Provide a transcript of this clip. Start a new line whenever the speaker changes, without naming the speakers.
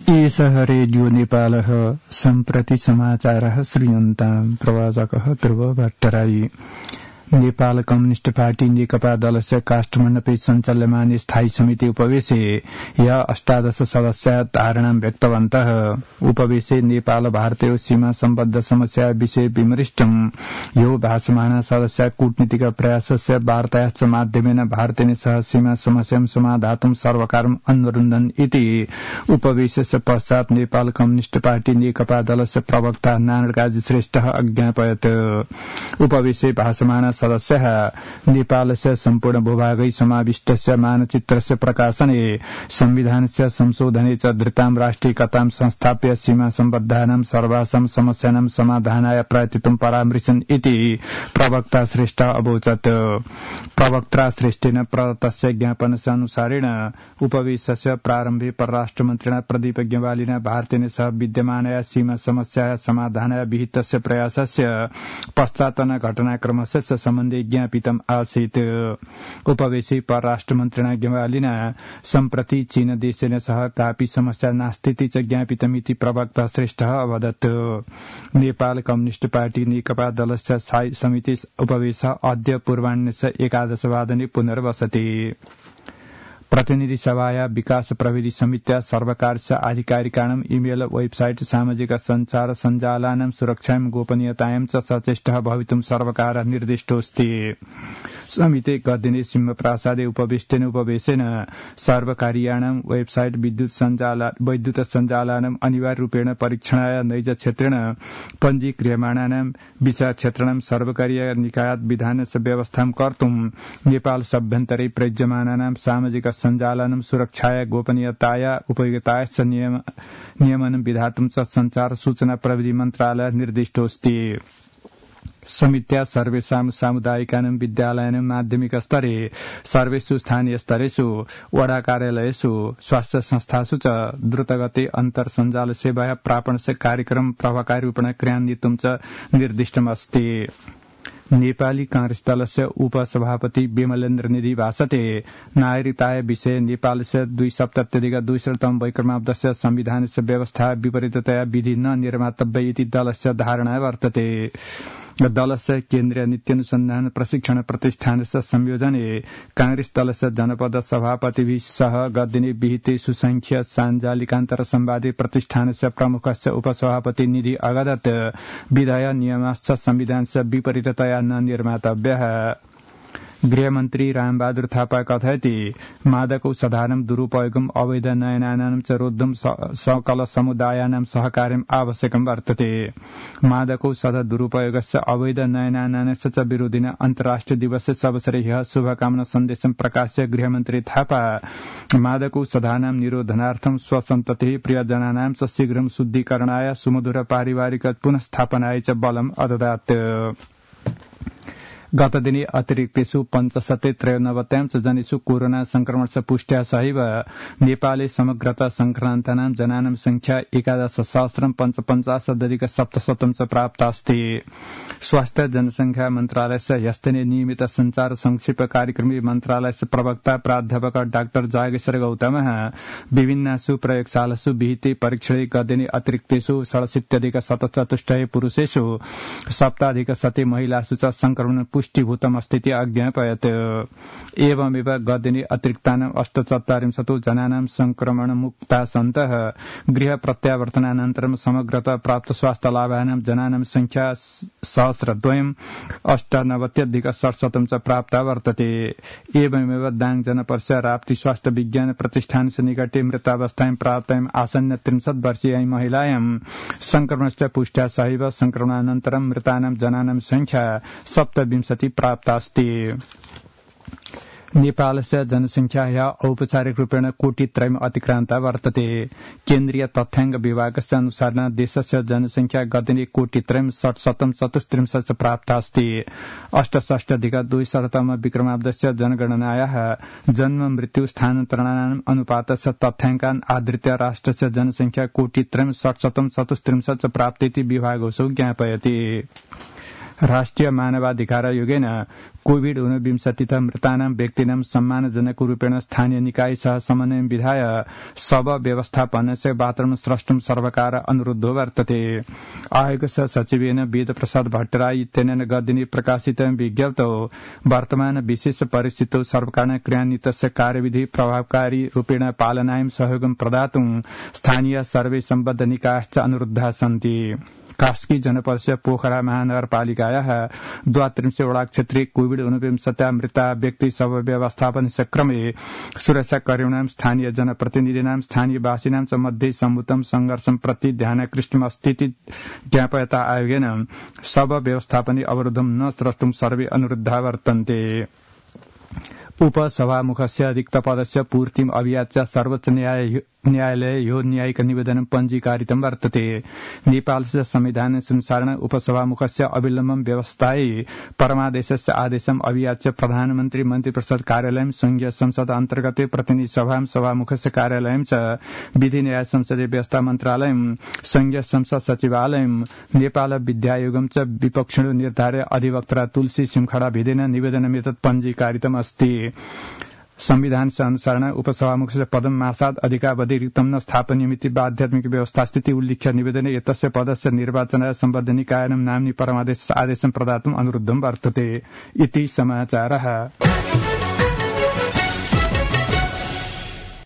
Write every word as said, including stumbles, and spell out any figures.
एषः रेडियो नेपालः सम्प्रति समाचारः श्रूयन्ताम् प्रवाचकः ध्रुव भट्टराई। नेपाल कम्युनिस्ट पार्टी नेकपा दलस्य काष्ठमण्डपे सञ्चाल्यमाने स्थायी समिति उपवेशे या अष्टादश सदस्या धारणां व्यक्तवन्तः। उपवेशे नेपाल भारतीय सीमा सम्बद्ध समस्या विषय विमृष्टम्। यो भाषमाणा सदस्या कूटनीतिक प्रयासस्य वार्तायाश्च माध्यमेन भारतेन सह सीमा समस्यां समाधातुं सर्वकारम् अनुरुन्धन् इति उपवेशस्य पश्चात् नेपाल कम्युनिस्ट पार्टी नेकपा दलस्य प्रवक्ता नारायण काजी श्रेष्ठः अज्ञापयत्। उपवेशे भाषमाणा सदस्यः नेपालस्य सम्पूर्ण भूभागै समाविष्टस्य मानचित्रस्य प्रकाशने संविधानस्य संशोधने च धृतां राष्ट्रियकतां संस्थाप्य सीमा सम्बद्धानां सर्वासां समस्यानां समाधानाय प्रयतितुं परामृशन् इति प्रवक्ता श्रेष्ठ अवोचत्। प्रवक्ता श्रेष्ठेन प्रदत्तस्य ज्ञापनस्य अनुसारेण उपवेशस्य प्रारम्भे परराष्ट्रमन्त्रिणा प्रदीप ग्यावालिना भारतेन सह विद्यमानया सीमा समस्याया समाधानाय विहितस्य प्रयासस्य पश्चातन घटनाक्रमस्य च सम्बन्धे ज्ञापितम् आसीत्। उपवेशे परराष्ट्रमन्त्रिणा ग्यावालिना सम्प्रति चीन देशेन सह कापि समस्या नास्तीति च ज्ञापितमिति प्रवक्ता श्रेष्ठः अवदत्। नेपाल कम्युनिस्ट पार्टी नेकपा दलस्य स्थायी समिति उपवेशः अद्य पूर्वाह्नस्य एकादशवादने पुनर्वसति। प्रतिनिधि सभाया विकास प्रविधि समित्या सर्वकारस्य आधिकारिकाणाम् इमेल वेबसाइट सामाजिक सञ्चार सञ्जालानां सुरक्षायां गोपनीयतायां च सचेष्टः भवितुं सर्वकारः निर्दिष्टोऽस्ति। समिते गतदिने सिंहप्रासादे उपविष्टेन उपवेशेन सर्वकारीयाणां वेबसाइट विद्युत सञ्जाला वैद्युत सञ्जालानाम् अनिवार्यरूपेण परीक्षणाय नैज क्षेत्रेण पञ्जीक्रियमाणानां विषय क्षेत्राणां सर्वकारीय निकायात् विधानस्य व्यवस्थां कर्तुं नेपाल सभ्यन्तरे प्रयुज्यमानानां सामाजिक सञ्जालनं सुरक्षाय गोपनीयताय उपयोगितायश्च नियमनं विधातुं च सञ्चार सूचना प्रविधि मन्त्रालयः निर्दिष्टोऽस्ति। समित्या सर्वेषां सामुदायिकानां विद्यालयानां माध्यमिक स्तरे सर्वेषु स्थानीय स्तरेषु वडा कार्यालयेषु स्वास्थ्य संस्थासु च द्रुतगते अन्तर सञ्जाल सेवाया प्रापणस्य कार्यक्रम प्रभावकारी रूपेण क्रियान्वितुं च निर्दिष्टमस्ति। नेपाली कांग्रेस दलस्य उपसभापति विमलेन्द्र निधि भाषते नागरिकताय विषय नेपालस्य द्विसप्तत्यधिक द्विशततम वैक्रमाब्दस्य संविधानस्य व्यवस्था विपरीततया विधि न निर्मातव्य इति दलस्य धारणा वर्तते। दलस्य केन्द्रीय नीत्यनुसन्धान प्रशिक्षण प्रतिष्ठानस्य संयोजने कांग्रेस दलस्य जनपद सभापतिभिः सह गतदिने विहिते सुसंख्य साञ्जालिकान्तर संवादे प्रतिष्ठानस्य प्रमुखस्य उपसभापति निधि अगदत् विधय नियमाश्च संविधानस्य विपरीततया न निर्मातव्यः। गृहमन्त्री रामबहादुर थापा कथयति मादकौषधानां दुरुपयोगम् अवैध नयनानां च रोद्धुं सकल समुदायानां सहकार्यम् आवश्यकं वर्तते। मादकौषध दुरुपयोगस्य अवैध नयनानास्य च विरोधिना अन्तर्राष्ट्रिय दिवसस्य अवसरे ह्यः शुभकामना सन्देशं प्रकाश्य गृहमन्त्री थापा मादकौषधानां निरोधनार्थं स्वसन्ततिः प्रियजनानां च शीघ्रं शुद्धीकरणाय सुमधुर पारिवारिक पुनस्थापनाय च बलम् अददात्। गतदिने अतिरिक्तेषु पञ्चशते त्रयोनवत्यां च जनेषु कोरोना संक्रमणस्य पुष्ट्या सहैव नेपाले समग्रतः संक्रान्तानां जनानां संख्या एकादश सहस्रं पञ्चपञ्चाशदधिक सप्तशतं च प्राप्ता अस्ति। स्वास्थ्य जनसंख्या मन्त्रालयस्य ह्यस्तने नियमित संचार संक्षेप कार्यक्रमे मन्त्रालयस्य प्रवक्ता प्राध्यापक डाक्टर जागेश्वर गौतमः विभिन्नासु प्रयोगशालासु विहिते परीक्षणे गतदिने अतिरिक्तेषु षडशीत्यधिक शतचतुष्टये पुरुषेषु सप्ताधिक शते महिलासु च संक्रमण पुष्टिभूतमस्तीति अज्ञापयत्। एवमेव गतदिने अतिरिक्तानाम् अष्टचत्वारिंशतो जनानां संक्रमणमुक्ता सन्तः गृह प्रत्यावर्तनानन्तरं समग्रतः प्राप्त स्वास्थ्य लाभानां जनानां संख्या सहस्रद्वयम् अष्टनवत्यधिक षट्शतं च प्राप्ता वर्तते। एवमेव दाङ जनपदस्य राप्ती स्वास्थ्य विज्ञान प्रतिष्ठानस्य निकटे मृतावस्थायां प्राप्तायाम् आसन्न त्रिंशत् वर्षीयां महिलायां संक्रमणस्य पुष्ट्या सहैव संक्रमणानन्तरं मृतानां जनानां संख्या सप्तविंशति प्राप्ता अस्ति। नेपालस्य जनसंख्या औपचारिक रूपेण कोटित्रयम् अतिक्रान्ता वर्तते। केन्द्रीय तथ्याङ्क विभागस्य अनुसारेण देशस्य जनसंख्या गतदिने कोटित्रयम् षट्शतं चतुस्त्रिंशत् प्राप्ता अस्ति। अष्टषष्ट्यधिक द्विशततम विक्रमाब्दस्य जनगणनायाः जन्म मृत्यु स्थानान्तरणानाम् अनुपातस्य तथ्याङ्कान् आधृत्य राष्ट्रस्य जनसंख्या कोटित्रयम् षट्शतं चतुस्त्रिंशत् प्राप्तेति विभागोऽसौ ज्ञापयति। राष्ट्रिय मानवाधिकार आयोगेन कोविड ऊनविंशतितः मृतानां व्यक्तीनां सम्मानजनक रूपेण स्थानीय निकाय सह समन्वय विधाय शव व्यवस्थापनस्य वातावरण स्रष्टुं सर्वकार अनुरुद्धो वर्तते। आयोगस्य सचिवेन वेद प्रसाद भट्टराई इत्यनेन गतदिने प्रकाशितं विज्ञप्तौ वर्तमान विशेष परिस्थितौ सर्वकारेण क्रियान्वितस्य कार्यविधि प्रभावकारी रूपेण पालनायां सहयोगं प्रदातुं स्थानीय सर्वे सम्बद्ध निकायश्च अनुरुद्धाः सन्ति। कास्की जनपदस्य पोखरा महानगरपालिकायाः द्वात्रिंशे वडा क्षेत्रे कोविड ऊनविंशत्या मृता व्यक्ति शव व्यवस्थापनस्य क्रमे सुरक्षाकर्मिणां स्थानीय जनप्रतिनिधीनां स्थानीयवासिनां च मध्ये सम्भूतं संघर्षं प्रति ध्यानाकृष्टमस्तीति ज्ञापयता आयोगेन शव व्यवस्थापने अवरोधं न स्रष्टुं सर्वे अनुरुद्धा वर्तन्ते। उपसभामुखस्य रिक्तपदस्य पूर्तिम् अभियाच्य सर्वोच्च न्यायालये यो न्यायिक निवेदनं पञ्जीकारितं वर्तते। नेपालस्य संविधानानुसारेण उपसभामुखस्य अविलम्बं व्यवस्थायै परमादेशस्य आदेशम् अभियाच्य प्रधानमन्त्री मन्त्रिपरिषद कार्यालयं संघीय संसद अन्तर्गते प्रतिनिधि सभां सभामुखस्य कार्यालयं च विधि न्याय संसदीय व्यवस्था मन्त्रालयं संघीय संसद सचिवालयं नेपाल विद्यायोगं च विपक्षिणो निर्धार्य अधिवक्ता तुलसी सिमखडा भेदेन निवेदनमेतत् पञ्जीकारितम् अस्ति। संविधान अनुसारेण उपसभामुखस्य पदं मासाद अधिकावधि रिक्तं न स्थापनीयमिति आध्यात्मिक व्यवस्था स्थिति उल्लिख्य निवेदने एतस्य पदस्य निर्वाचनाय सम्बद्ध निकायानां नाम्नि परमादेश आदेशं प्रदातुम् अनुरुद्धं वर्तते इति समाचारः।